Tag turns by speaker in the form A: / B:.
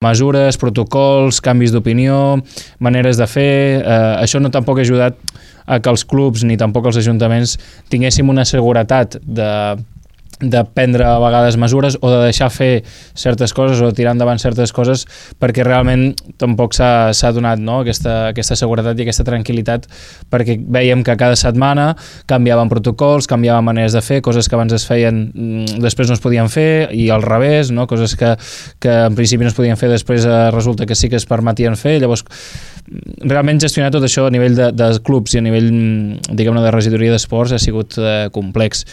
A: mesures, protocols, canvis d'opinió, maneres de fer. Això no tampoc ha ajudat a que els clubs ni tampoc els ajuntaments tinguéssim una seguretat de prendre a vegades mesures o de deixar fer certes coses o de tirar endavant certes coses, perquè realment tampoc s'ha donat, no? aquesta seguretat i aquesta tranquil·litat, perquè veiem que cada setmana canviaven protocols, canviaven maneres de fer, coses que abans es feien després no es podien fer, i al revés, no? Coses que en principi no es podien fer, després resulta que sí que es permetien fer. Llavors realment gestionar tot això a nivell de clubs i a nivell, diguem-ne, de regidoria d'esports ha sigut complex.